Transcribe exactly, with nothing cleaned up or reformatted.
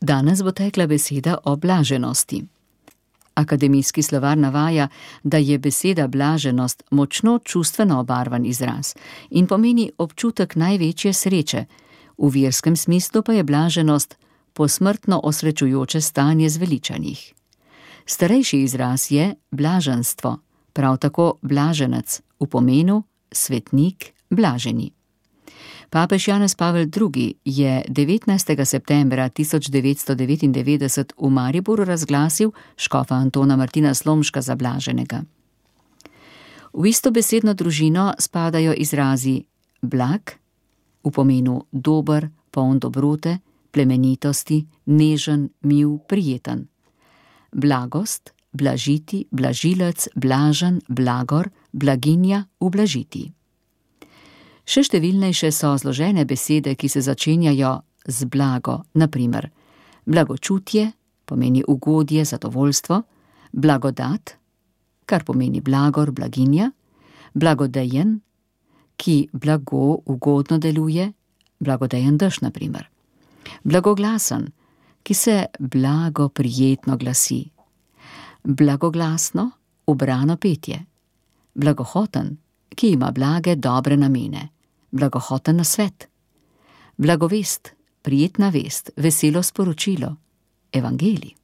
Danes bo tekla beseda o blaženosti. Akademijski slovar navaja, da je beseda blaženost močno čustveno obarvan izraz in pomeni občutek največje sreče, v verskem smislu pa je blaženost posmrtno osrečujoče stanje zveličanih. Starejši izraz je blaženstvo, prav tako blaženec, v pomenu svetnik, blaženi. Papež Janez Pavel drugi. je devetnajstega septembra tisoč devetsto devetindevetdeset v Mariboru razglasil škofa Antona Martina Slomška za blaženega. V isto besedno družino spadajo izrazi blag, v pomenu dober, poln dobrote, plemenitosti, nežen, mil, prijeten. Blagost, blažiti, blažilec, blažen, blagor, blaginja, ublažiti. Še številnejše so zložene besede, ki se začenjajo z blago, na primer blagočutje, pomeni ugodje, zadovoljstvo, blagodat, kar pomeni blagor, blaginja, blagodejen, ki blago, ugodno deluje, blagodejen dež, na primer. Blagoglasen, ki se blago, prijetno glasi. Blagoglasno, ubrano petje. Blagohoten, ki ima blage, dobre namene. Blagohoten nasvet. Blagovest, prijetna vest, veselo sporočilo. Evangelij.